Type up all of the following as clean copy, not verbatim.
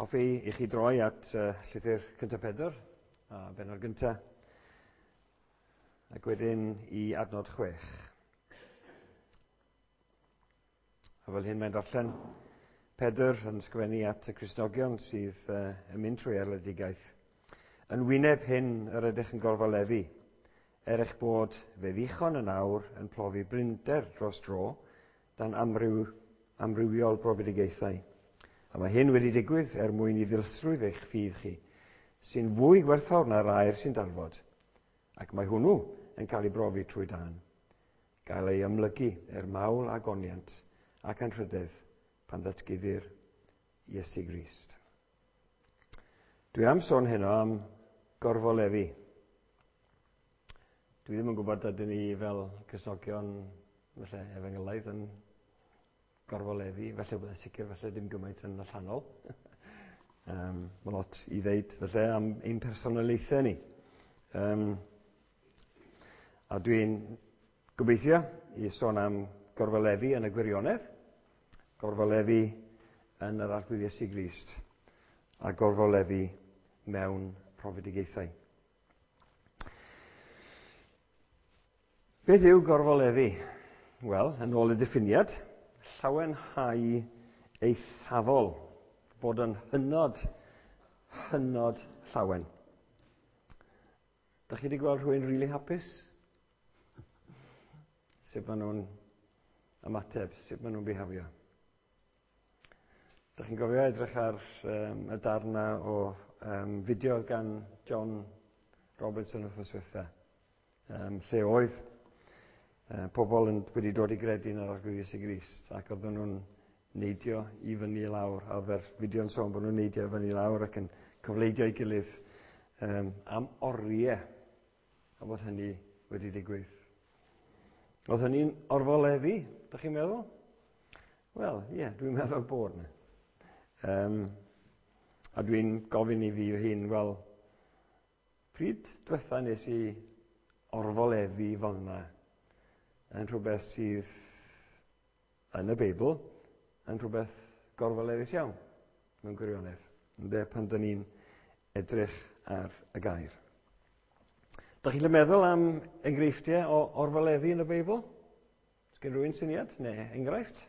Hoffi i chi droi at llythyr cyntaf Pedr, a benod gyntaf, ac wedyn i adnod 6. A fel hyn mae'n darllen Pedr yn sgrifennu at y Cristnogion sydd yn mynd trwy erledigaeth. Yn wyneb hyn yr ydych yn gorfoleddu, er eich bod fe ddichon yn awr yn profi blinder dros dro dan amrywiol brofedigaethau. A mae hyn wedi digwydd er mwyn i ddilysrwydd eich ffydd chi, sy'n fwy gwerthfawr na'r aur sy'n darfod, ac mae hwnnw yn cael ei brofi trwy dân, gael ei amlygu er mawl a goniant ac anrhydedd pan ddatguddir Iesu Grist. Dwi am sôn heno am gorfoleddu. Dwi ddim yn gwybod ydyn ni fel Cristnogion, falle efengylaidd, yn gorfoleddu, felly byddai sicr felly dim gymaint yn allanol. Mae lot i ddeud felly am ein personoliaethau ni. A dwi'n gobeithio i sôn am gorfoleddu yn y gwirionedd, gorfoleddu yn yr Arglwydd Iesu Grist, a gorfoleddu mewn profedigaethau. Beth yw gorfoleddu? Wel, yn ôl y diffiniad, llawenhau eithafol, bod yn hynod, hynod llawen. Dach chi wedi gweld rhywun rili hapus? Sut maen nhw'n ymateb, sut maen nhw'n bihafio? Dach chi'n gofio edrych ar y darn 'na o fideo oedd gan John Robertson wythnos ddiwetha, lle oedd pobl wedi dod i gredu yn yr Arglwydd Iesu Grist, ac oedden nhw'n neidio i fyny i lawr, a oedd yr fideo'n sôn bod nhw'n neidio i fyny i lawr ac yn cofleidio ei gilydd am oriau, a bod hynny wedi digwydd. Oedd hynny'n orfoleddu, dych chi'n meddwl? Wel, ie, dwi'n meddwl bod yna. A dwi'n gofyn i fi fy hun, wel, pryd diwetha nes i orfoleddu fel yna yn rhywbeth sydd yn y Beibl, yn rhywbeth gorfoleddus iawn, mewn gwirionedd, ynde, pan dyn ni'n edrych ar y gair. Dych chi'n meddwl am enghreifftiau o orfoleddu yn y Beibl? Oes gen rhywun syniad neu enghraifft?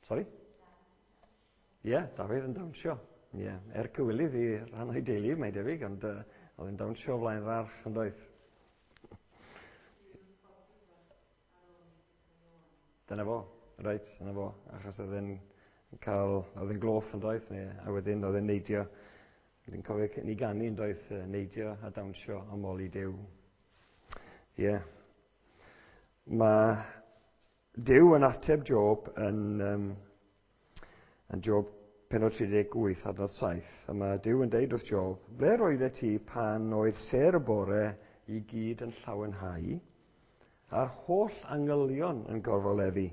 Sori? Ie, yeah, Dafydd yn dawnsio. Ie, yeah, er cywilydd i rhan o'i deulu, mae'n debyg, ond oedd yn dawnsio o flaen yr arch yn doedd. Dyna fo, reit, dyna fo, achos oedd e'n cael, oedd e'n gloff yn doedd, neu, a wedyn oedd e'n neidio, dwi'n cofio ni ganu yn doedd, neidio a dawnsio am ôl i Duw. Ie. Yeah. Mae Duw yn ateb Job yn Job pennod 38 adnod 7, a mae Duw yn deud wrth Job, ble roeddet ti pan oedd sêr y bore i gyd yn llawenhau, a'r holl angylion yn gorfoleddu,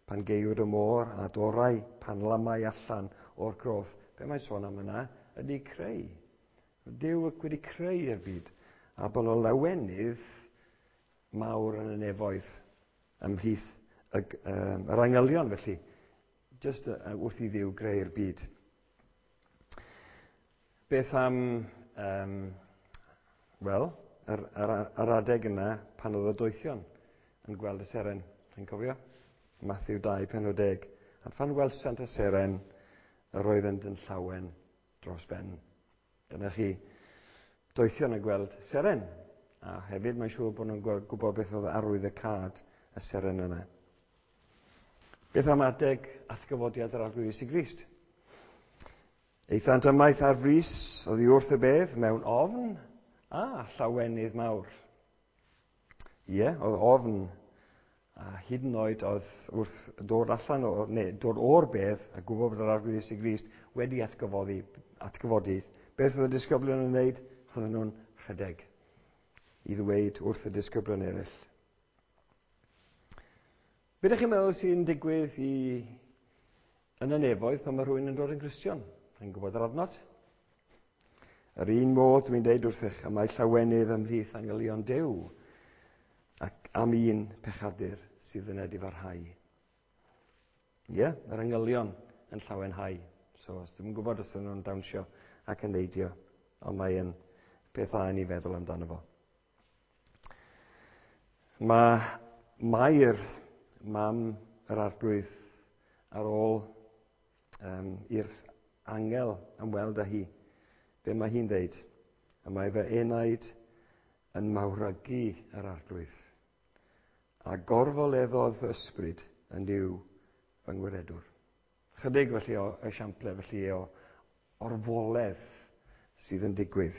pan geuwyd y môr a dorau, pan lamau allan o'r groth. Be mae'n sôn am yna ydy creu. Duw wedi creu'r byd, a bod o lawenydd mawr yn y nefoedd ymhlith yr angylion, felly, jyst wrth i Dduw greu'r byd. Beth am, wel, yr adeg yna pan oedd y doethion yn gweld y seren, chi'n cofio? Matthew 2, pennod 10. A phan welsant y seren, yr oeddent yn llawen dros ben. Dyna chi, doethion yn gweld seren. A hefyd mae'n siŵr bod nhw'n gwybod beth oedd arwydd y cad y seren yna. Beth am adeg atgyfodiad yr Arglwydd Iesu Grist? Aethant ymaith ar frys oddi wrth y bedd mewn ofn a llawenydd mawr. Ie, oedd ofn a hyd yn oed oedd wrth dod allan o, neu dod o'r bedd a gwybod bod yr Arglwydd Iesu Grist wedi atgyfodi. Beth oedd y disgyblion yn wneud? Oedden nhw'n rhedeg i ddweud wrth y disgyblion eraill. Be ydych chi'n meddwl sy'n digwydd yn y nefoedd pan mae rhywun yn dod yn Gristion? Chi'n gwybod yr adnod? Yr un modd dwi'n deud wrthych, y mae llawenydd ymhlith angylion Duw ac am un pechadur sydd yn edifarhau. Ie, yeah, yr angylion yn llawenhau. So, os dwi'n gwybod os ydyn nhw'n dawnsio ac yn neidio, ond mae'n peth dda i ni feddwl amdano fo. Mae Mair, mam yr Arglwydd, ar ôl i'r angel ymweld â hi, be mae hi'n dweud? Y mae fy enaid yn mawrygu yr Arglwydd, a gorfoleddodd fy ysbryd yn Nuw fy ngwiredwr. Chydig felly o esiample felly o orfoledd sydd yn digwydd.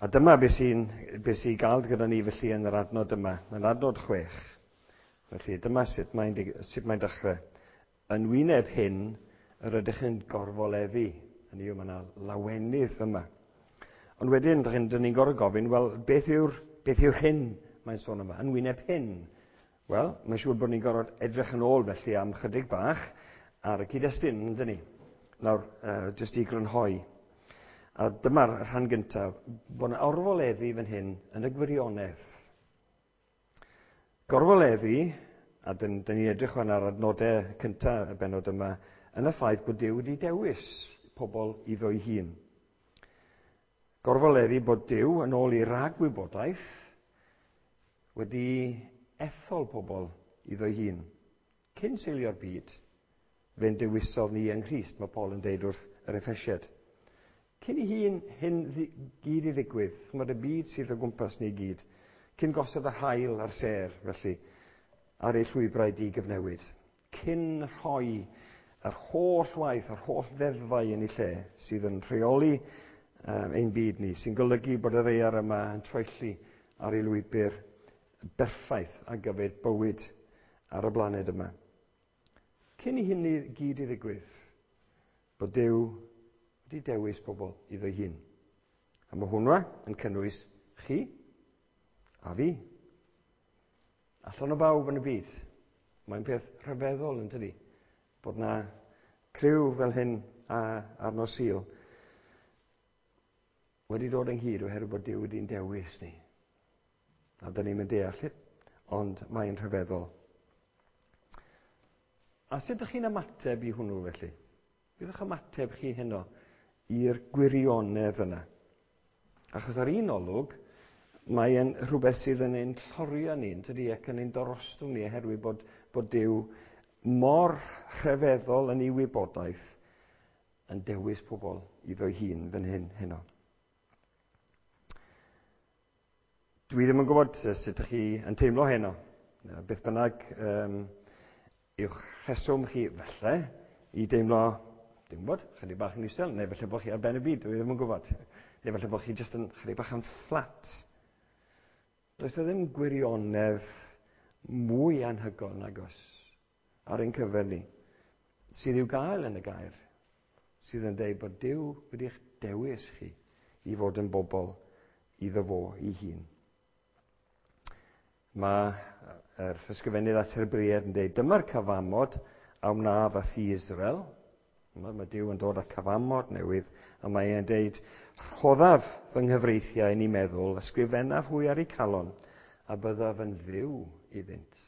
A dyma beth sy'n be sy gael gyda ni felly yn yr adnod yma, yn adnod 6. Felly dyma sut mae'n dechrau. Yn wyneb hyn, yr ydych yn gorfoleddu. Hynny yw, mae yna lawenydd yma. Ond wedyn, dyn ni'n gorfod gofyn, wel, beth yw'r hyn mae'n sôn yma? Yn wyneb hyn. Wel, mae'n siŵr bod ni'n gorfod edrych yn ôl felly am chydig bach ar y cyd-destun, yndyn ni? Nawr, jyst i grynhoi. A dyma'r rhan gyntaf, bod yna orfoleddu fan hyn yn y gwirionedd. Gorfoleddu, a dyn ni'n edrych fan ar adnodau cyntaf y bennod yma, yn y ffaith bod Duw wedi dewis pobl iddo'i hun. Gorfoleddu bod Duw yn ôl i ragwybodaeth wedi ethol pobl iddo'i hun. Cyn seilio'r byd, fe'n dewisodd ni yng Nghrist, mae Paul yn deud wrth yr Effesiaid. Cyn i hyn gyd i ddigwydd, chymod y byd sydd o gwmpas ni gyd, cyn gosod yr haul a'r sêr, felly, ar ei llwybrau digyfnewid. Cyn rhoi yr holl waith, yr holl ddeddfau yn ei lle sydd yn rheoli ein byd ni, sy'n golygu bod y ddaear yma yn troelli ar ei lwybr berffaith ar gyfer bywyd ar y blaned yma. Cyn i hynny gyd i ddigwydd, bod Duw wedi dewis pobl iddo'i hun. A mae hwnna yn cynnwys chi a fi. Allan o bawb yn y byd. Mae'n peth rhyfeddol yn tydi, bod na criw fel hyn ar nos Sul wedi dod ynghyd oherwydd bod Duw wedi'n dewis ni. A dyn ni'n mynd deall it, ond mae'n rhyfeddol. A sut ydych chi'n ymateb i hwnnw felly? Beth yw'ch ymateb chi heno i'r gwirionedd yna? Achos ar un olwg, mae'n rhywbeth sydd yn ein llorio ni, yn tydi, ac yn ein dorostwng ni, oherwydd bod Duw mor rhyfeddol yn ei wybodaeth yn dewis pobl iddo'i hun fan hyn heno. Dwi ddim yn gwybod sut ydych chi yn teimlo heno. Beth bynnag yw'ch rheswm chi falle i deimlo, dwi'n gwybod, chydig bach yn isel, neu falle bod chi ar ben y byd, dwi ddim yn gwybod. Neu falle bod chi jyst yn chydig bach yn fflat. Does e ddim gwirionedd mwy anhygoel nag oes ar ein cyfer ni, sydd i'w gael yn y gair, sydd yn dweud bod Duw wedi'ch dewis chi i fod yn bobl iddo fo ei hun. Mae yr ysgrifennydd at yr Hebreaid yn dweud, dyma'r cyfamod a wnaf â thŷ Israel. Mae Duw yn dod â cyfamod newydd, a mae e'n dweud, rhoddaf fy nghyfreithiau yn ei meddwl, ysgrifennaf hwy ar eu calon, a byddaf yn Dduw iddynt.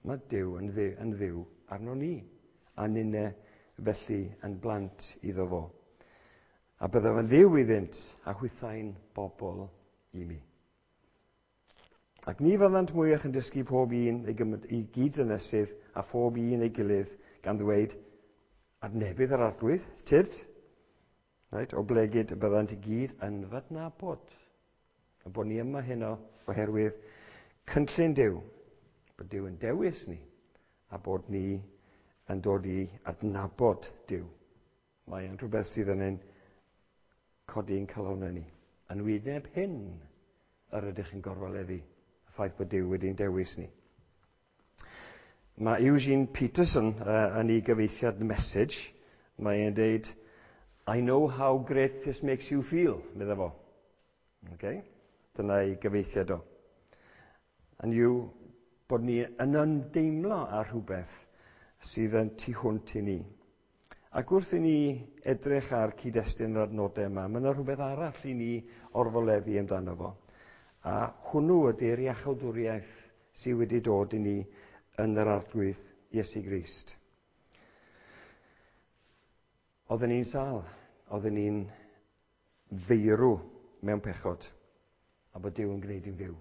Mae Duw yn Dduw arno ni, a ninne felly yn blant iddo fo. A byddaf yn Dduw iddynt, a hwythau'n bobl i mi. Ac ni fyddant mwyach yn dysgu pob un ei gyd-ddynesydd a phob un ei gilydd, gan ddweud, adnebydd yr Arglwydd, tyrd, right, oblegid y byddant i gyd yn f'adnabod. A bod ni yma heno oherwydd cynllun Duw, bod Duw yn dewis ni, a bod ni yn dod i adnabod Duw. Mae'n rhywbeth sydd yn ein codi'n calonnau ni. Yn wyneb hyn yr ydych yn gorfoleddu, y ffaith bod Duw wedi'n dewis ni. Mae Eugene Peterson yn ei gyfieithiad Message, mae e'n deud, I know how great this makes you feel, medda fo. Okay? Dyna ei gyfieithiad o. And yw bod ni yn ymdeimlo â rhywbeth sydd yn tu hwnt i ni. Ac wrth i ni edrych ar cyd-destun yr adnodau yma, mae yna rhywbeth arall i ni orfoleddu amdano fo. A hwnnw ydy'r iachawdwriaeth sydd wedi dod i ni yn yr Arglwydd Iesu Grist. Oedden ni'n sâl, oedden ni'n feirw mewn pechod, a bod Duw yn gwneud i'n fyw.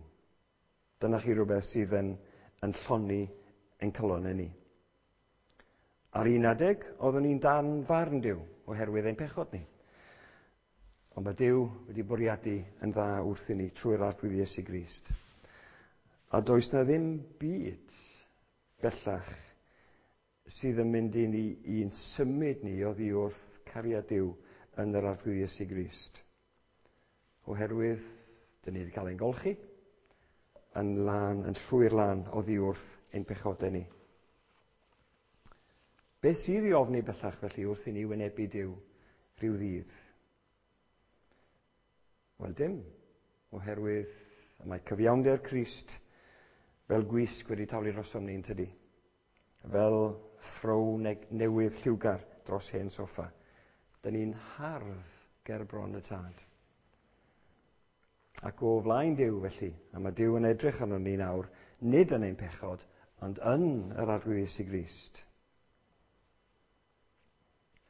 Dyna chi rhywbeth sydd yn llonni ein calonnau ni. Ar un adeg, oeddwn ni'n dan farn Duw oherwydd ein pechod ni. Ond mae Duw wedi bwriadu yn dda wrth i ni trwy'r Arglwydd Iesu Grist. A does na ddim byd bellach sydd yn mynd i ni i'n symud ni oddi wrth cariad Duw yn yr Arglwydd Iesu Grist. Oherwydd, dyn ni wedi cael ein golchi yn lân, yn llwyr lân oddi wrth ein pechodau ni. Beth sydd i ofni bellach felly wrth i ni wynebu Duw rhyw ddydd? Wel dim, oherwydd mae cyfiawnder Crist fel gwisg wedi taflu drosom ni, yn tydi? Fel throw newydd lliwgar dros hen soffa. Dyn ni'n hardd ger bron y Tad. Ac o flaen Duw felly, a mae Duw yn edrych arno ni nawr, nid yn ein pechod, ond yn yr Arglwydd Iesu Grist.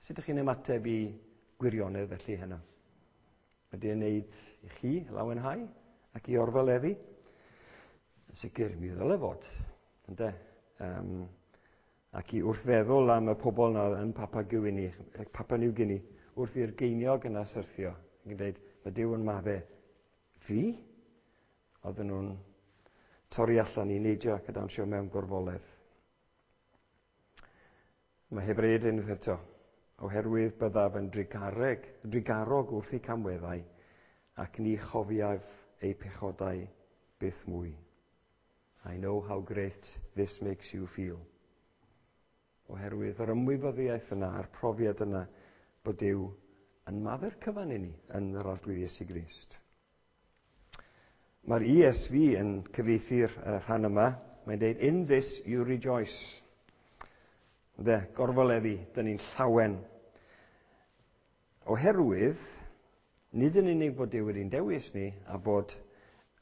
Sut ydych chi'n ymateb i gwirionedd felly heno? Ydy e'n neud i chi lawenhau ac i orfoleddu? Yn sicr, mi ddyle fod. Ynde? Ac i wrth feddwl am y pobl yna yn Papua Guinea, Papua New Guinea, wrth i'r geiniog yna syrthio, ac yn dweud, mae Duw yn madde fi? Oedden nhw'n torri allan i neidio ac y dawnsio mewn gorfoledd. Mae Hebreaid unwaith eto, oherwydd byddaf yn drugarog wrth eu camweddau, ac ni chofiaf eu pechodau byth mwy. I know how great this makes you feel. Oherwydd yr ymwybyddiaeth yna a'r profiad yna bod Duw yn maddau'r cyfan i ni yn yr Arglwydd Iesu Grist. Mae'r ESV yn cyfieithu'r rhan yma. Mae'n dweud, in this you rejoice. Ynde, gorfoleddu, dyn ni'n llawen. Oherwydd, nid yn unig bod Duw wedi'n dewis ni a bod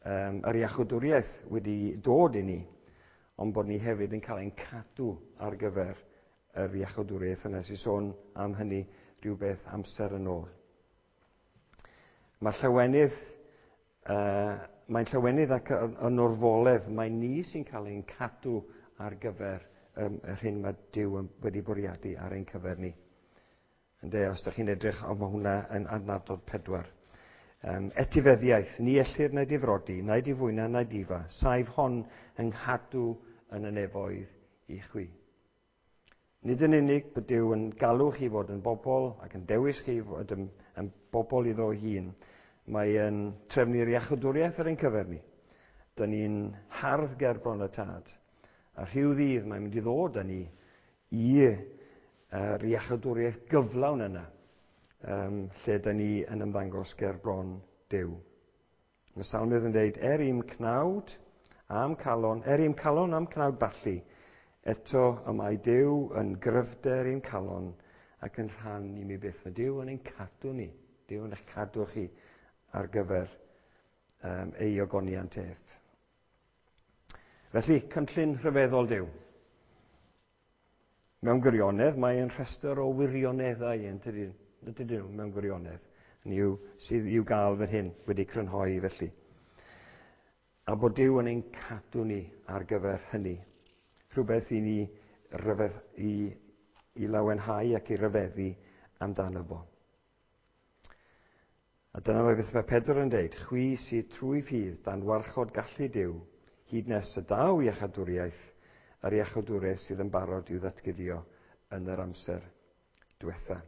yr iachawdwriaeth wedi dod i ni, ond bod ni hefyd yn cael ein cadw ar gyfer yr iachawdwriaeth yna. Sy'n sôn am hynny rhywbeth amser yn ôl. Mae llawenydd, mae'n llawenydd ac yn orfoledd, mae ni sy'n cael ein cadw ar gyfer yr hyn mae Duw wedi bwriadu ar ein cyfer ni. Ynde, os ydych chi'n edrych, ond mae hwnna yn adnod 4. Etifeddiaeth, ni ellir na difrodi, na difwyna, na difa, saif hon yng nghadw yn y nefoedd i chwi. Nid yn unig bod Duw yn galw chi fod yn bobl ac yn dewis chi fod yn bobl iddo hun, mae yn trefnu'r iachawdwriaeth ar ein cyfer ni. Dyn ni'n hardd ger bron y Tad. A rhyw ddydd mae'n mynd i ddod â ni i'r iachawdwriaeth gyflawn yna, lle dyn ni yn ymddangos ger bron Duw. Mae Salmydd yn dweud, er i'm cnawd am calon, er i'm calon am cnawd ballu, eto y mae Duw yn gryfder i'm calon ac yn rhan i mi byth. Mae Duw yn ein cadw ni. Duw yn eich cadw chi ar gyfer ei ogoniant ef. Felly, cynllun rhyfeddol Duw. Mewn gwirionedd, mae yn rhestr o wirioneddau, yn tydi, ydyn nhw, mewn gwirionedd, yn yw, sydd i'w gael fan hyn, wedi crynhoi felly. A bod Duw yn ein cadw ni ar gyfer hynny. Rhywbeth i ni i lawenhau ac i ryfeddu amdano fo. A dyna mae beth mae Pedr yn deud, chwi sydd trwy ffydd dan warchod gallu Duw, hyd nes y daw iachawdwriaeth, yr iachawdwriaeth sydd yn barod i'w ddatguddio yn yr amser diwetha.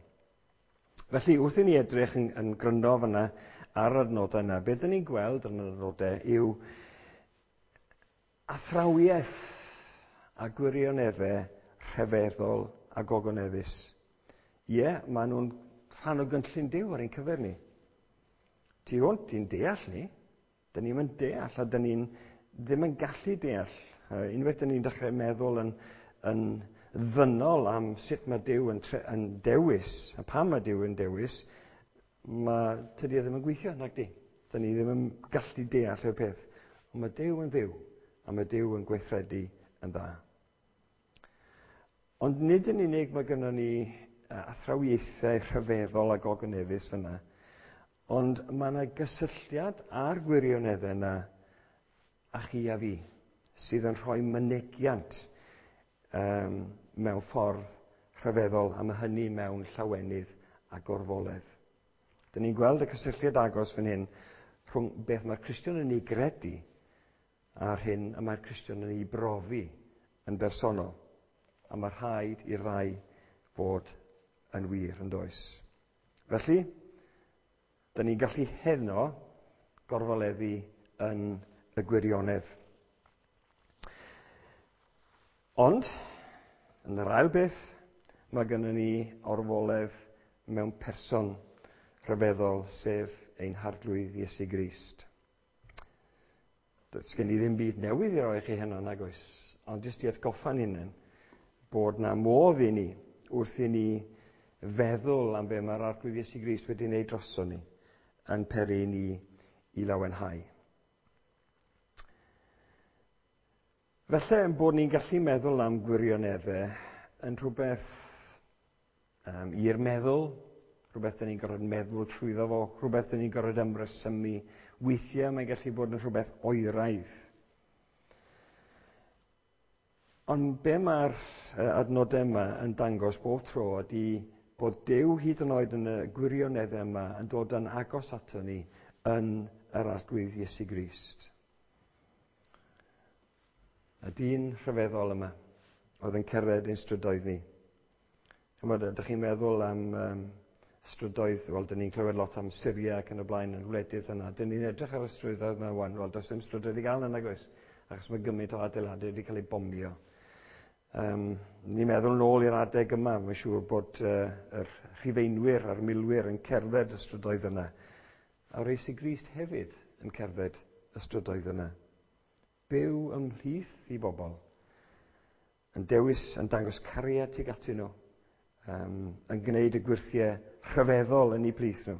Felly, wrth i ni edrych yn gryno fyna ar yr adnodau yna, beth dyn ni'n gweld yn yr adnodau yw athrawiaeth a gwirioneddau rhyfeddol a gogoneddus. Ie, maen nhw'n rhan o gynllun Duw ar ein cyfer ni. Tu hwnt i'n deall ni, dyn ni'm yn deall a dyn ni'n ddim yn gallu deall. Unwaith dyn ni'n dechrau meddwl yn ddynol am sut mae Duw yn dewis, a pam mae Duw yn dewis, mae tydi e ddim yn gweithio, nag di. Dyn ni ddim yn gallu deall y peth. Ond mae Duw yn Dduw, A mae Duw yn gweithredu yn dda. Ond nid yn unig mae gynnon ni athrawiaethau rhyfeddol a gogoneddus fyna, ond mae yna gysylltiad â'r gwirioneddau yna a chi a fi, sydd yn rhoi mynegiant mewn ffordd rhyfeddol, a mae hynny mewn llawenydd a gorfoledd. Dyn ni'n gweld y cysylltiad agos fan hyn rhwng beth mae'r Cristion yn ei gredu a'r hyn y mae'r Cristion yn ei brofi yn bersonol. A mae rhaid i'r ddau fod yn wir, yn does. Felly, dyn ni'n gallu heno gorfoleddu yn y gwirionedd. Ond, yn yr ail beth, mae gennym ni orfoledd mewn person rhyfeddol, sef ein Harglwydd Iesu Grist. Does gen i ddim byd newydd i roi chi heno, nag oes, ond jyst i atgoffa'n hunain bod na modd i ni, wrth i ni feddwl am be mae'r Arglwydd Iesu Grist wedi wneud droson ni, yn peri ni i lawenhau. Felly, yn bod ni'n gallu meddwl am gwirioneddau yn rhywbeth i'r meddwl, rhywbeth dyn ni'n gorfod meddwl trwyddo fo, rhywbeth dyn ni'n gorfod ymresymu. Weithiau mae'n gallu bod yn rhywbeth oeraidd. Ond be mae'r adnodau yma yn dangos bob tro ydy bod Duw hyd yn oed yn y gwirioneddau yma yn dod yn agos ato ni yn yr Arglwydd Iesu Grist. Y dyn rhyfeddol yma oedd yn cerdded ein strydoedd ni. Chymod, ydych chi'n meddwl am strydoedd, wel, dyn ni'n clywed lot am Syria ac yn y blaen yn wledydd yna. Dyn ni'n edrych ar y strydoedd yma wan, wel, does dim strydoedd i gael yna, nag oes, achos mae gymaint o adeiladau wedi cael eu bomio. Ni'n meddwl nôl i'r adeg yma, mae'n siŵr bod yr Rhufeinwyr a'r milwyr yn cerdded y strydoedd yna. A'r Iesu Grist hefyd yn cerdded y strydoedd yna. Byw ymhlith i bobl, yn dewis, yn dangos cariad tuag atyn nhw, yn gwneud y gwyrthiau rhyfeddol yn eu plith nhw.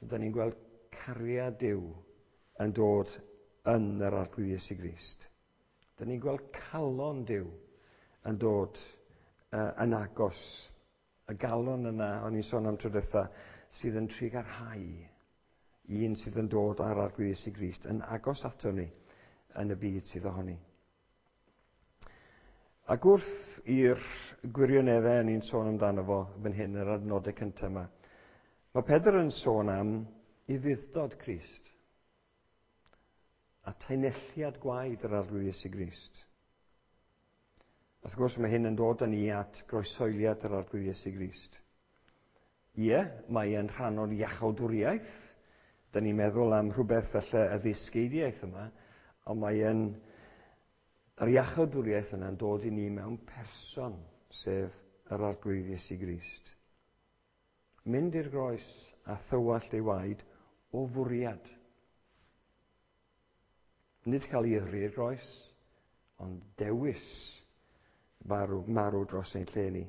Dyna ni'n gweld cariad Duw yn dod yn yr Arglwydd Iesu Grist. Dyna ni'n gweld calon Duw yn dod yn agos. Y galon yna, o'n i'n sôn am tro diwetha, sydd yn trugarhau un sydd yn dod ar Arglwydd Iesu Grist yn agos ato ni yn y byd sydd ohoni. Ac wrth i'r gwirioneddau o'n i'n sôn amdano fo fan hyn, yr adnodau cyntaf yma, mae Pedr yn sôn am ufudd-dod Crist a taenelliad gwaed yr Arglwydd Iesu Grist. Wrth gwrs, mae hyn yn dod â ni at groesoeliad yr Arglwydd Iesu Grist. Ie, mae e'n rhan o'r iachawdwriaeth. Dyn ni'n meddwl am rhywbeth falle y ddysgeidiaeth yma, ond mae e'n yr iachawdwriaeth yna'n dod i ni mewn person, sef yr Arglwydd Iesu Grist. Mynd i'r groes a thywallt ei waed o fwriad. Nid cael ei yrru i'r groes, ond dewis marw dros ein lle ni.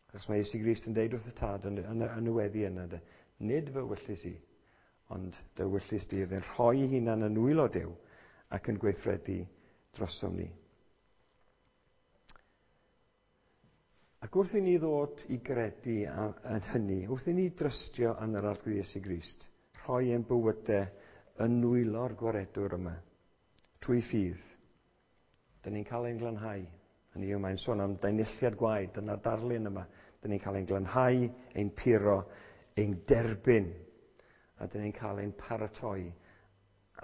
Achos mae Iesu Grist yn deud wrth y Tad yn y weddi yna, de, nid fy wyllys i, ond dy wyllys di. Oedd e'n rhoi ei hunan yn nwylo Duw ac yn gweithredu drosom ni. Ac wrth i ni ddod i gredu yn hynny, wrth i ni drystio yn yr Arglwydd Iesu Grist, rhoi ein bywydau yn nwylo'r gwaredwr yma, trwy ffydd, dyn ni'n cael ein glanhau. Hynny yw, mae'n sôn am daenelliad gwaed, dyna'r darlun yma. Dyn ni'n cael ein glanhau, ein puro, ein derbyn, a dyn ni'n cael ein paratoi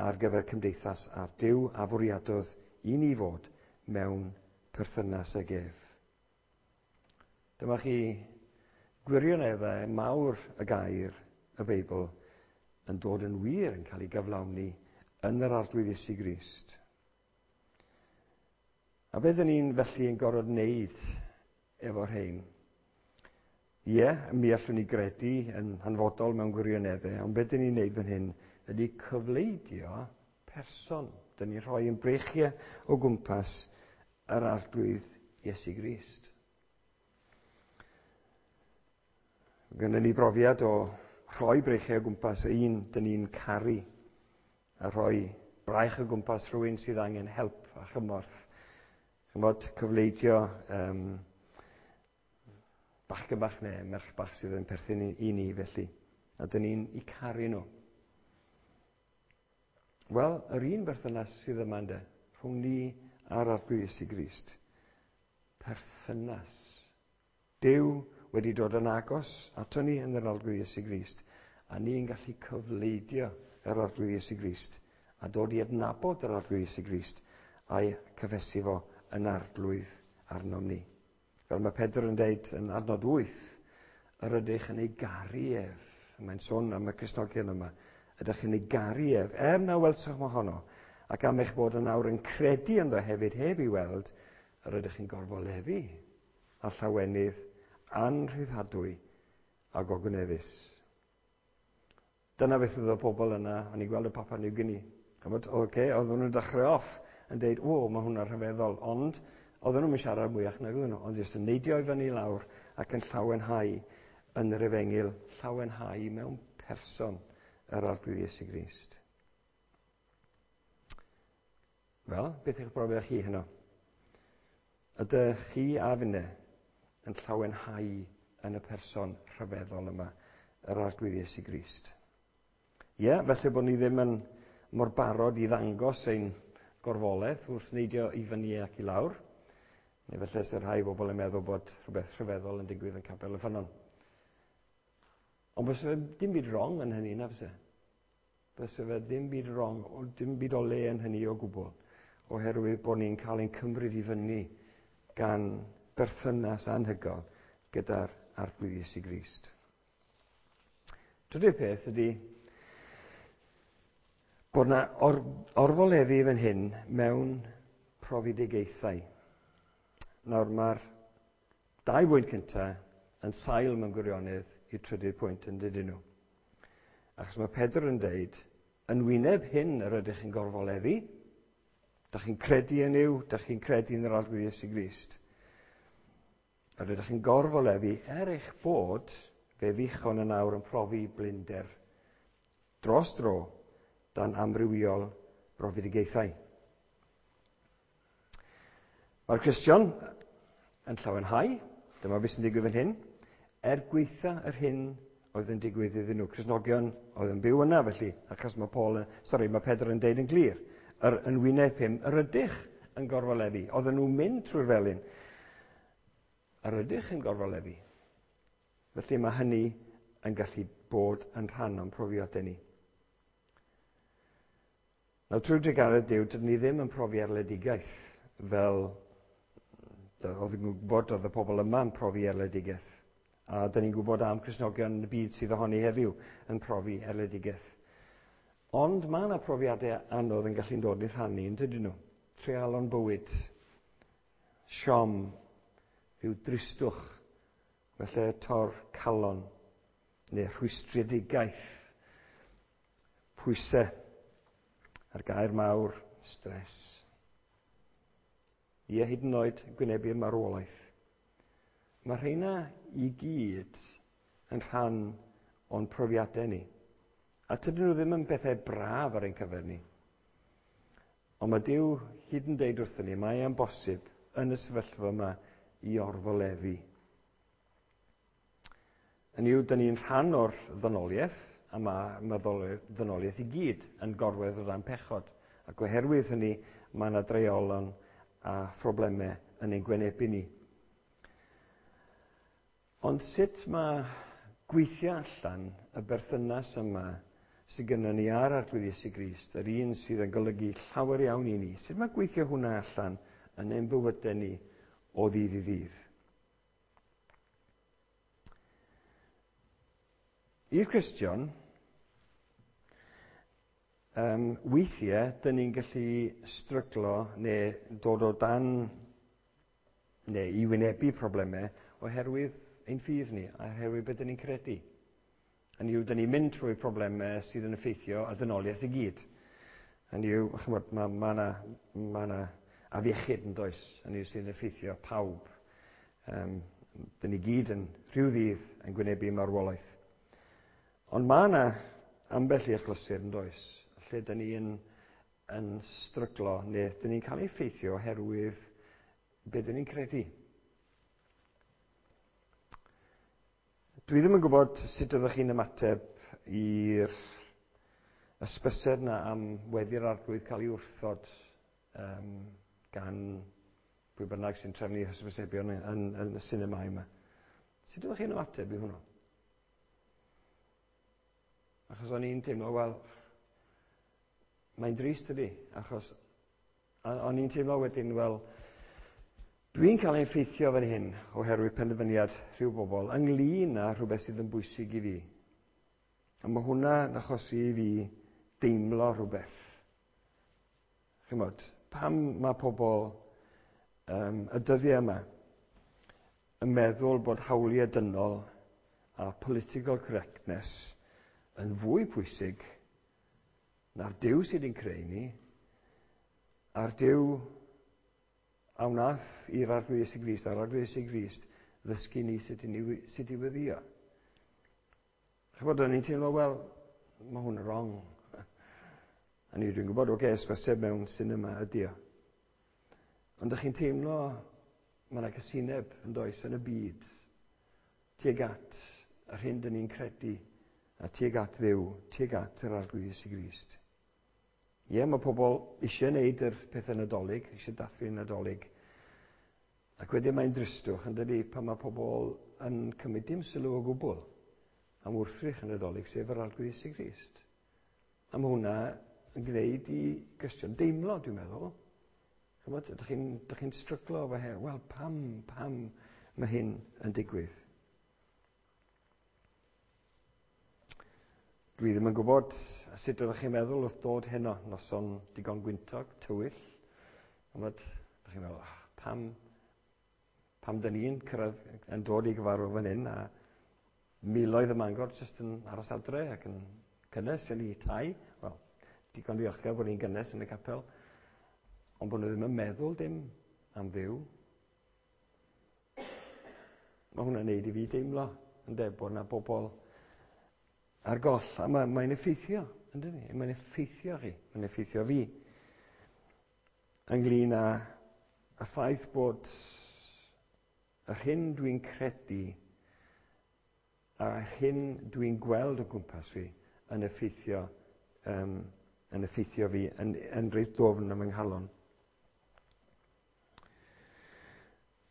ar gyfer cymdeithas a'r Duw a fwriadodd i ni fod mewn perthynas ag ef. Dyma chi gwirioneddau mawr y gair, y Beibl, yn dod yn wir, yn cael ei gyflawni yn yr Arglwydd Iesu Grist. A beth ydyn ni'n felly yn gorfod wneud efo'r rhain? Ie, mi allwn ni gredu yn hanfodol mewn gwirioneddau, ond beth ydyn ni'n wneud fan hyn ydy cyfleidio person. Dyn ni'n rhoi yn breichiau o gwmpas yr Arglwydd Iesu Grist. Gynnon ni brofiad o rhoi breichiau o gwmpas un dyn ni'n caru a rhoi braich o gwmpas rhywun sydd angen help a chymorth. Chymod, cyfleidio bachgen bach neu merch bach sydd yn perthyn i ni felly. A dyn ni'n eu caru nhw. Wel, yr un berthynas sydd yma ynde, rhwng ni a'r Arglwydd Iesu Grist. Perthynas. Duw wedi dod yn agos ato ni yn yr Arglwydd Iesu Grist, a ni'n gallu cyfleidio yr Arglwydd Iesu Grist, a dod i adnabod yr Arglwydd Iesu Grist, a'i cyffesu fo yn arglwydd arnom ni. Fel mae Pedr yn deud yn adnod 8, yr ydych yn ei garu ef. Mae'n sôn am y Cristnogion yma. Ydych chi'n ei garu ef, er na welsoch mohono, ac am eich bod yn awr yn credu ynddo hefyd heb i weld, yr ydych chi'n gorfoleddu a llawenydd anrhyddhadwy a gogoneddus. Dyna beth oedd y pobl yna, o'n i'n gweld y Papua New Guinea. Chymod, oce, oedden nhw'n dechrau off yn deud, o, mae hwnna'n rhyfeddol, ond oedden nhw'n siarad mwyach nag oedden nhw, ond jyst yn neidio i fyny lawr ac yn llawenhau yn yr efengyl, llawenhau mewn person yr Arglwydd Iesu Grist. Wel, beth yw'ch brofiad chi heno? Ydych chi a finne yn llawenhau yn y person rhyfeddol yma, yr Arglwydd Iesu Grist? Ie, yeah, felly bod ni ddim yn mor barod i ddangos ein gorfoledd wrth neidio i fyny ac i lawr. Neu felly sy'n rhai bobl yn meddwl bod rhywbeth rhyfeddol yn digwydd yn Capel y Ffynnon. Ond byse fe dim byd wrong yn hynny, na fyse? Byse fe ddim byd wrong, dim byd o le yn hynny o gwbl, oherwydd bod ni'n cael ein cymryd i fyny gan berthynas anhygoel gyda'r Arglwydd Iesu Grist. Trydydd peth ydy bod yna orfoleddu fan hyn mewn profedigaethau. Nawr mae'r dau bwynt cyntaf yn sail mewn gwirionedd i'r trydydd pwynt yn dydyn nhw. Achos mae Pedr yn deud, yn wyneb hyn yr ydych chi'n gorfoleddu, dych chi'n credu yn yw, dych chi'n credu yn yr Arglwydd Iesu Grist. Yr ydych chi'n gorfoleddu er eich bod fe ddichon yn awr yn profi blinder dros dro dan amrywiol brofedigaethau. Mae'r Cristion yn llawenhau, dyma beth sy'n digwydd fan hyn, er gweitha yr hyn oedd yn digwydd iddyn nhw. Cristnogion oedd yn byw yna felly, achos mae, Paul, sorry, mae Pedr yn deud yn glir, yr, yn wyneb hyn, yr ydych yn gorfoleddu. Oedden nhw'n mynd trwy'r felin. Yr ydych yn gorfoleddu. Felly mae hynny yn gallu bod yn rhan o'n profiadau ni. Nawr, trwy drugaredd Duw, dydyn ni ddim yn profi erledigaeth fel oedd yn gwybod oedd y pobl yma yn profi erledigaeth. A dyn ni'n gwybod am Cristnogion yn y byd sydd ohoni heddiw yn profi erledigaeth. Ond mae yna profiadau anodd yn gallu dod i'r rhannu, yn dydyn nhw? Treialon bywyd, siom, rhyw dristwch, felly tor calon, neu rhwystredigaeth, pwysau, a'r gair mawr, stres. Ie, hyd yn oed gwynebu'r marwolaeth. Mae rheina i gyd yn rhan o'n profiadau ni. A tydyn nhw ddim yn bethau braf ar ein cyfer ni. Ond mae Duw hyd yn deud wrthyn ni, mae e'n bosib yn y sefyllfa yma i orfoleddu. Yn yw, dyn ni'n rhan o'r ddynoliaeth, a mae ddynoliaeth i gyd yn gorwedd o dan pechod. Ac oherwydd hynny, mae yna dreialon a phroblemau yn ein gwynebu ni. Ond sut mae gweithio allan y berthynas yma sydd gennym ni ar Arglwydd Iesu Grist, yr un sydd yn golygu llawer iawn i ni, sut mae gweithio hwnna allan yn ein bywydau ni o ddydd i ddydd? I'r Cristion, weithiau, dyn ni'n gallu stryglo neu dod o dan neu i wynebu problemau oherwydd ein ffydd ni, a oherwydd beth dyn ni'n credu. Hynny yw, dyn ni'n mynd trwy problemau sydd yn effeithio ar ddynoliaeth i gyd. Hynny yw, chymod, mae ma na, ma na afiechyd yn does, hynny yw sydd yn effeithio pawb. Dyn ni gyd yn rhyw ddydd yn gwynebu marwolaeth. Ond mae yna ambell i achlysur yn does, lle dyn ni yn yn stryglo neu dyn ni'n cael ei effeithio oherwydd be dyn ni'n credu. Dwi ddim yn gwybod sut ydych chi'n ymateb i'r ysbysed na am weddi'r arglwydd cael ei wrthod um, gan pwy bynnag sy'n trefnu hysbysebion yn, yn, yn y sinemâu yma. Sut ydych chi'n ymateb i hwnnw? Achos o'n i'n teimlo, wel, mae'n drist ydy, achos o'n i'n teimlo wedyn, wel, dwi'n cael ei effeithio fan hyn oherwydd penderfyniad rhyw bobl ynglyn â rhywbeth sydd yn bwysig i fi. A mae hwnna yn achosi i fi deimlo rhywbeth. Chymod, pam mae pobl um, y dyddiau yma yn meddwl bod hawliau dynol a political correctness yn fwy pwysig na'r Duw sydd wedi'n creu ni, a'r Duw a wnaeth i'r Arglwydd Iesu Grist, a'r Arglwydd Iesu Grist ddysgu ni sut i, ni, sut i weddio. Chybod, o'n i'n teimlo, wel, mae hwn yn wrong. A ni dwi'n gwybod, oce, okay, ysbyseb mewn cinema ydi o. Ond ydych chi'n teimlo, mae yna cysineb yn does yn y byd tuag at yr hyn dyn ni'n credu a tuag at Dduw, tuag at yr Arglwydd Iesu Grist. Ie, mae pobl eisiau gwneud yr pethau Nadolig, eisiau dathlu Nadolig. Ac wedyn mae'n dristwch yn dydy pan mae pobl yn cymryd dim sylw o gwbl am wrthrych yn Nadolig, sef yr Arglwydd Iesu Grist. A mae hwnna yn gwneud i Gristion deimlo, dwi'n meddwl. Chymod, ydych chi'n chi stryglo efo her? Wel, pam, pam mae hyn yn digwydd? Dwi ddim yn gwybod sut oeddech chi'n meddwl wrth dod heno, noson digon gwyntog, tywyll. Chymod, ydych chi'n meddwl, oh, pam, pam dyn ni'n cyrraedd yn dod i gyfarfod fan hyn a miloedd y Mangor jyst yn aros adre ac yn cynnes yn eu tai. Wel, digon ddiolchgar bod ni'n gynnes yn y capel, ond bod nhw ddim yn meddwl dim am Dduw. Mae hwnna'n neud i fi deimlo, ynde, bod yna bobl ar goll. A mae'n mae effeithio, ynddo ni? Mae'n effeithio chi, mae'n effeithio fi. Ynglyn â y ffaith bod yr hyn dwi'n credu a'r hyn dwi'n gweld o gwmpas fi yn effeithio, um, yn effeithio fi yn, yn reit ddofn yn fy nghalon.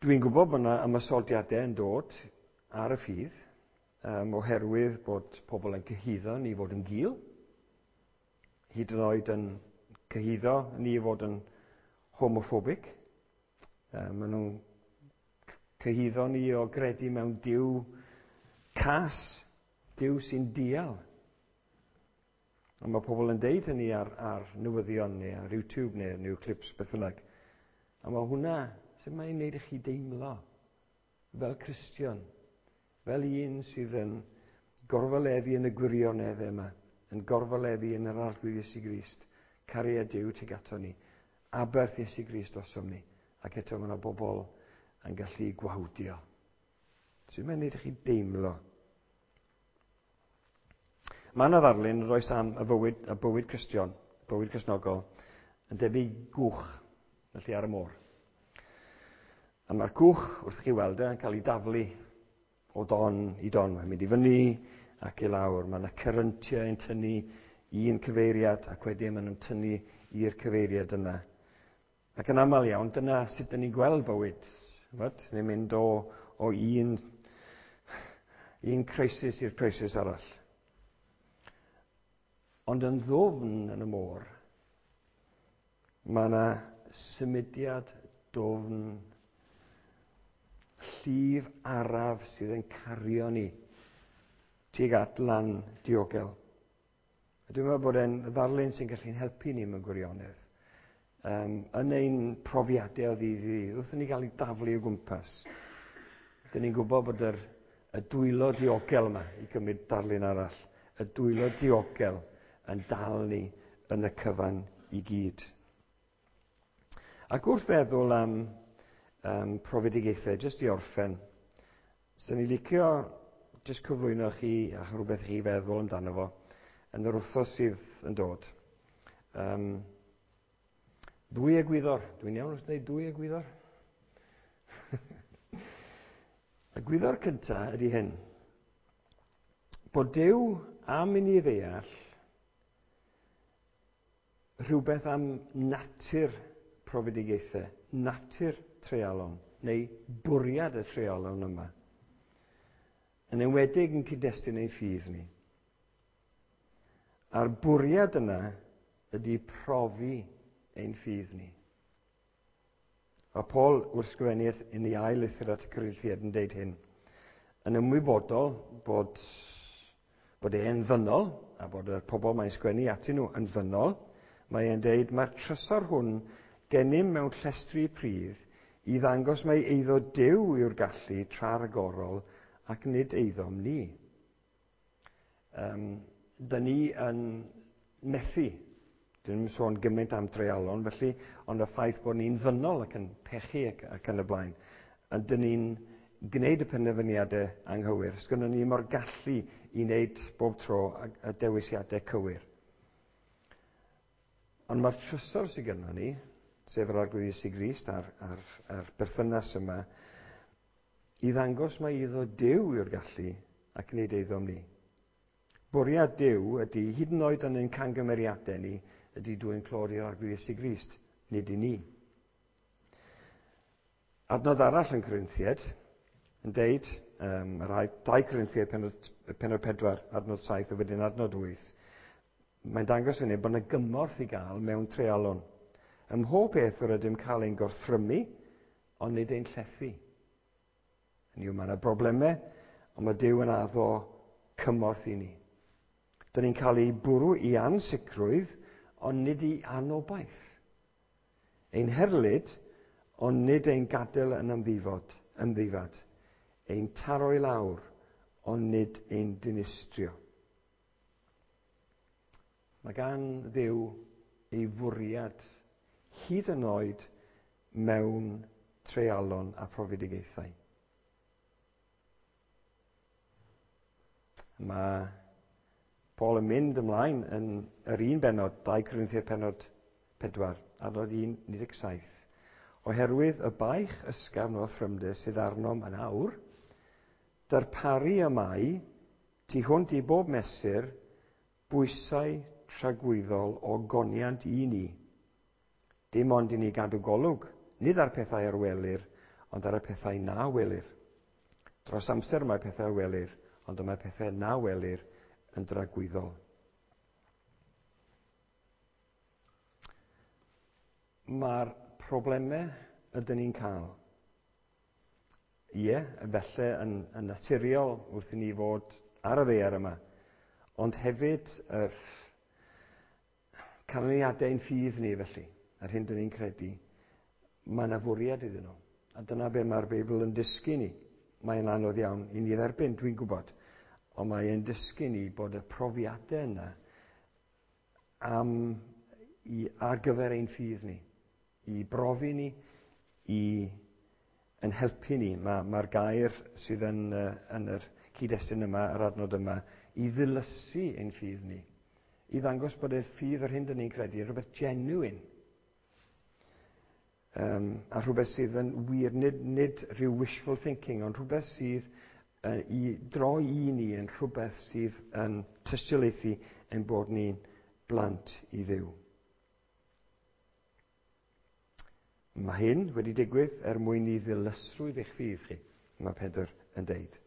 Dwi'n gwybod bod yna ymosodiadau yn dod ar y ffydd, um, oherwydd bod pobl yn cyhuddo ni fod yn gul, hyd yn oed yn cyhuddo ni fod yn homophobic. Um, maen nhw'n cyhuddo ni o gredu mewn Duw cas, Duw sy'n dial. A mae pobl yn deud hynny ar, ar newyddion neu ar YouTube neu new clips, beth bynnag. A mae hwnna, sut mae'n neud i chi deimlo fel Cristion, fel un sydd yn gorfoleddu yn y gwirionedd yma, yn gorfoleddu yn yr Arglwydd Iesu Grist, cariad Duw tuag ato ni, aberth Iesu Grist drosom ni, ac eto mae yna bobl yn gallu gwawdio. Sut mae'n neud i chi deimlo? Mae yna ddarlun yn oes am y fywyd, y bywyd Cristion, bywyd Cristnogol, yn debyg gwch, felly ar y môr. A mae'r gwch, wrth chi weld e, yn cael ei daflu o don i don. Mae'n mynd i fyny ac i lawr. Mae yna cyryntiau yn tynnu un cyfeiriad ac wedyn maen nhw'n tynnu i'r cyfeiriad yna. Ac yn aml iawn, dyna sut dyn ni'n gweld bywyd. Ch'mod? Ni'n mynd o, o un, un crisis i'r crisis arall. Ond yn ddwfn yn y môr, mae yna symudiad dwfn, llif araf sydd yn cario ni tuag at lan diogel. A dwi'n meddwl bod e'n ddarlun sy'n gallu'n helpu ni mewn gwirionedd. Um, yn ein profiadau o ddydd i ddydd, wrth i ni gael ei daflu o gwmpas, dyn ni'n gwybod bod yr, y dwylo diogel yma, i gymryd darlun arall, y dwylo diogel yn dal ni yn y cyfan i gyd. Ac wrth feddwl am um, profedigaethau, jyst i orffen, sy'n ni licio jyst cyflwyno chi a rhywbeth chi feddwl amdano fo yn yr wythnos sydd yn dod. Um, Dwy egwyddor. Dwi'n iawn wrth dweud dwy egwyddor? Y gwyddor cyntaf ydy hyn. Bod Duw am i ni ddeall rhywbeth am natur profedigaethau, natur treialon, neu bwriad y treialon yma. Yn enwedig yn cyd-destun ein ffydd ni. A'r bwriad yna ydy profi ein ffydd ni. A Paul wrth sgrifennu yn ei ail lythyr at y Corinthiaid yn deud hyn. Yn ymwybodol bod e'n ddynol, a bod y pobl mae'n sgwennu atyn nhw yn ddynol, mae e'n deud mae'r trysor hwn gennym mewn llestri pridd i ddangos mai eiddo Duw yw'r gallu tra ragorol ac nid eiddom ni. Dyn ni yn methu. Dyn ni'n sôn gymaint am dreialon felly, ond y ffaith bod ni'n ddynol ac yn pechu ac yn y blaen. A dyn ni'n gwneud y penderfyniadau anghywir. Sgynnon ni mor gallu i wneud bob tro y dewisiadau cywir. Ond mae'r trysor sydd gynnon ni, sef yr Arglwydd Iesu Grist a'r berthynas yma, i ddangos mai iddo Duw yw'r gallu ac nid eiddom ni. Bwriad Duw ydy, hyd yn oed yn ein cangymeriadau ni, ydy dwyn clod i'r Arglwydd Iesu Grist, nid i ni. Adnod arall yn Corinthiaid yn deud, yr ail, 2 Corinthiaid penod 4, adnod 7, a wedyn adnod 8, mae'n dangos i ni bod yna gymorth i gael mewn treialon. Ym mhob peth yr ydym cael ein gorthrymu, ond nid ein llethu. Hynny yw, mae yna broblemau, ond mae Duw yn addo cymorth i ni. Dyn ni'n cael ei bwrw i ansicrwydd, ond nid i anobaith. Ein herlid, ond nid ein gadael yn ymddifad. Ein taro i lawr, ond nid ein dinistrio. Mae gan Dduw ei fwriad hyd yn oed mewn treialon a profedigaethau. Mae Paul yn mynd ymlaen yn yr un bennod, 2 Corinthiaid pennod 4, adnod 17. Oherwydd y baich ysgafn o thrymder sydd arnom yn awr, darparu y mae, tu hwnt i bob mesur, bwysau tragwyddol o goniant i ni. Dim ond i ni gadw golwg, nid ar pethau ar welir, ond ar y pethau na welir. Dros amser mae pethau a welir, ond y mae pethau na welir yn dragwyddol. Mae'r problemau ydyn ni'n cael, ie, felly yn naturiol wrth i ni fod ar y ddaear yma, ond hefyd yr canlyniadau ein ffydd ni felly, a'r hyn dyn ni'n credu, mae yna fwriad iddyn nhw. A dyna be mae'r Beibl yn dysgu ni. Mae'n anodd iawn i ni dderbyn, dwi'n gwybod. Ond mae'n dysgu ni bod y profiadau yna ar gyfer ein ffydd ni. I brofi ni, i yn helpu ni. Mae'r gair sydd yn yr cyd-destun yma, yr adnod yma, i ddilysu ein ffydd ni. I ddangos bod y ffydd yr hyn dyn ni'n credu yn rhywbeth genuine. A rhywbeth sydd yn wir, nid rhyw wishful thinking, ond rhywbeth sydd i droi i ni yn rhywbeth sydd yn tystiolaethu ein bod ni'n blant i Dduw. Mae hyn wedi digwydd er mwyn i ddilysrwydd eich ffydd chi, mae Pedr yn deud.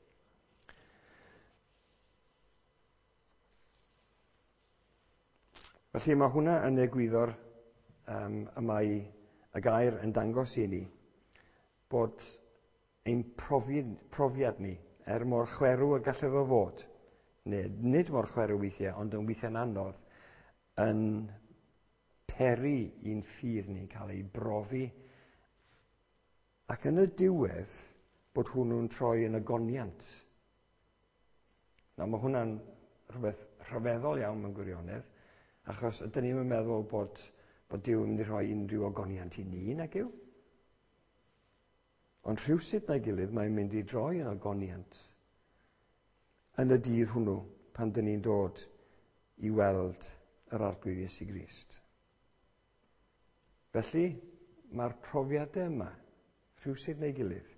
Felly mae hwnna yn egwyddor y mae y gair yn dangos i ni bod ein profiad ni, er mor chwerw y gallai fo fod, neu nid mor chwerw weithiau, ond yn weithiau'n anodd, yn peri i'n ffydd ni cael ei brofi, ac yn y diwedd bod hwnnw'n troi yn ogoniant. Nawr, mae hwnna'n rhywbeth rhyfeddol iawn mewn gwirionedd, achos ydyn ni'n meddwl bod Duw yn mynd i rhoi unrhyw ogoniant i ni, nag yw? Ond rhywsut na'i gilydd mae'n mynd i droi yn ogoniant yn y dydd hwnnw pan dyn ni'n dod i weld yr Arglwydd Iesu Grist. Felly, mae'r profiadau yma, rhywsut neu gilydd,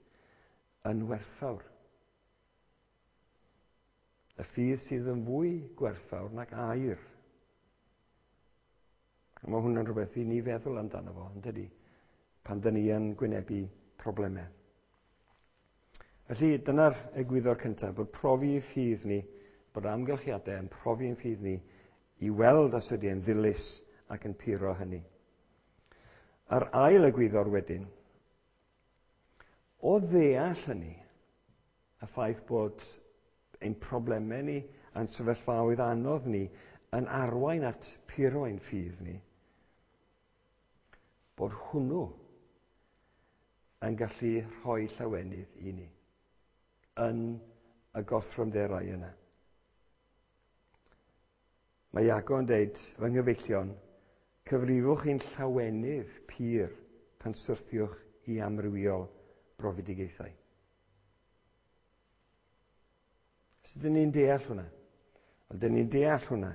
yn werthfawr. Y ffydd sydd yn fwy gwerthfawr nag aur. A mae hwnna'n rhywbeth i ni feddwl amdano fo, yn dydi? Pan dyn ni yn gwynebu problemau. Felly, dyna'r egwyddor cyntaf, bod profi ffydd ni, bod amgylchiadau yn profi'n ffydd ni i weld os ydy e'n ddilys ac yn puro hynny. A'r ail egwyddor wedyn, o ddeall hynny, y ffaith bod ein problemau ni a'n sefyllfaoedd anodd ni yn arwain at puro ein ffydd ni, bod hwnnw yn gallu rhoi llawenydd i ni yn y gorthrymderau yna. Mae Iago yn deud, fy nghyfeillion, cyfrifwch ein llawenydd pur pan syrthiwch i amrywiol brofedigaethau. Sut dyn ni'n deall hwnna? Wel, dyn ni'n deall hwnna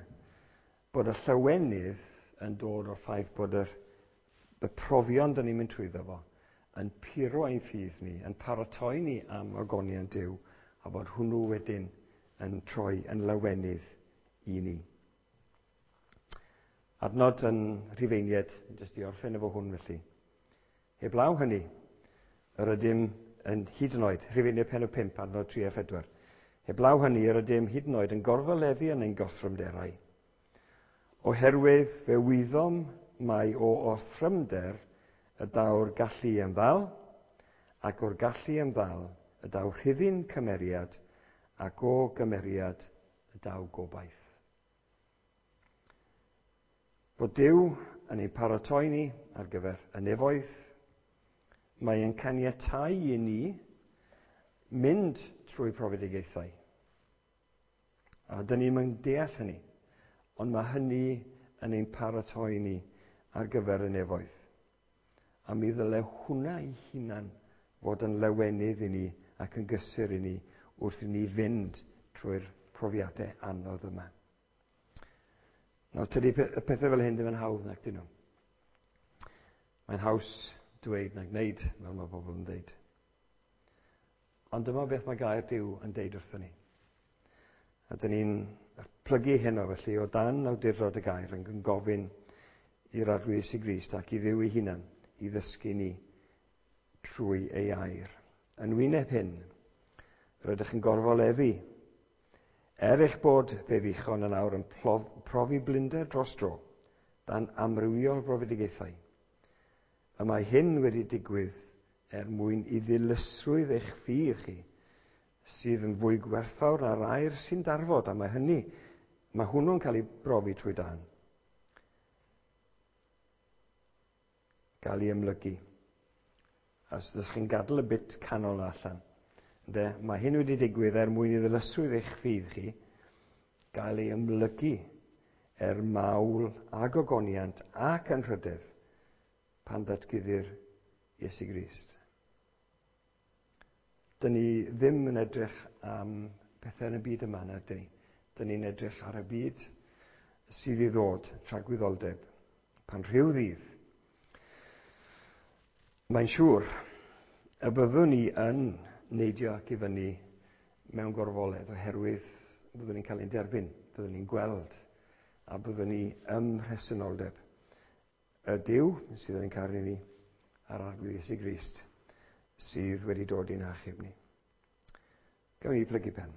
bod y llawenydd yn dod o'r ffaith bod y profion dyn ni'n mynd trwyddo fo yn puro ein ffydd ni, yn paratoi ni am ogoniant Duw, a bod hwnnw wedyn yn troi yn lawenydd i ni. Adnod yn Rhufeiniaid, jyst i orffen efo hwn felly. Heblaw hynny, yr ydym yn hyd yn oed, Rhufeiniaid pennod 5, adnod 3 a 4. Heblaw hynny, yr ydym hyd yn oed yn gorfoleddu yn ein gothrymderau. Oherwydd fe wyddom mai o orthrymder y daw'r gallu i ymddal, ac o'r gallu i ymddal y daw rhuddin cymeriad, ac o gymeriad y daw gobaith. Bod Duw yn ein paratoi ni ar gyfer y nefoedd, mae e'n caniatáu i ni mynd trwy profedigaethau. A dyn ni'n mynd deall hynny, ond mae hynny yn ein paratoi ni ar gyfer y nefoedd. A mi ddyle hwnna ei hunan fod yn lawenydd i ni ac yn gysur i ni wrth i ni fynd trwy'r profiadau anodd yma. Nawr, tydi y pethau fel hyn ddim yn hawdd nac dyn nhw. Mae'n haws dweud na gwneud, fel mae pobl yn dweud. Ond dyma beth mae gair Duw yn deud wrthon ni. A dyn ni'n plygu heno felly o dan awdurdod y gair yn gofyn i'r Arglwydd Iesu Grist ac i Dduw ei hunan i ddysgu ni trwy ei air. Yn wyneb hyn, rydych yn gorfoleddu. Er eich bod fe ddichon yn awr yn profi blinder dros dro, dan amrywiol brofedigaethau. Y mae hyn wedi digwydd er mwyn i ddilysrwydd eich ffydd chi, sydd yn fwy gwerthfawr na'r aur sy'n darfod, a mae hwnnw'n cael ei brofi trwy dan. Gael ei ymlygu. A os ydych chi'n gadael y bit canol allan, ynde, mae hyn wedi digwydd er mwyn i ddilysrwydd eich ffydd chi gael ei ymlygu er mawl a gogoniant ac anrhydedd pan ddatguddir Iesu Grist. Dyn ni ddim yn edrych am pethau yn y byd yma, na dyn ni. Dyn ni'n edrych ar y byd sydd i ddod, tragwyddoldeb, pan rhyw ddydd. Mae'n siŵr y byddwn ni yn neidio ac i fyny mewn gorfoledd oherwydd byddwn ni'n cael ein derbyn, byddwn ni'n gweld a byddwn ni ym mhresenoldeb y Duw sydd yn caru ni a'r Arglwydd Iesu Grist sydd wedi dod i'n achub ni. Gawn ni plygu pen.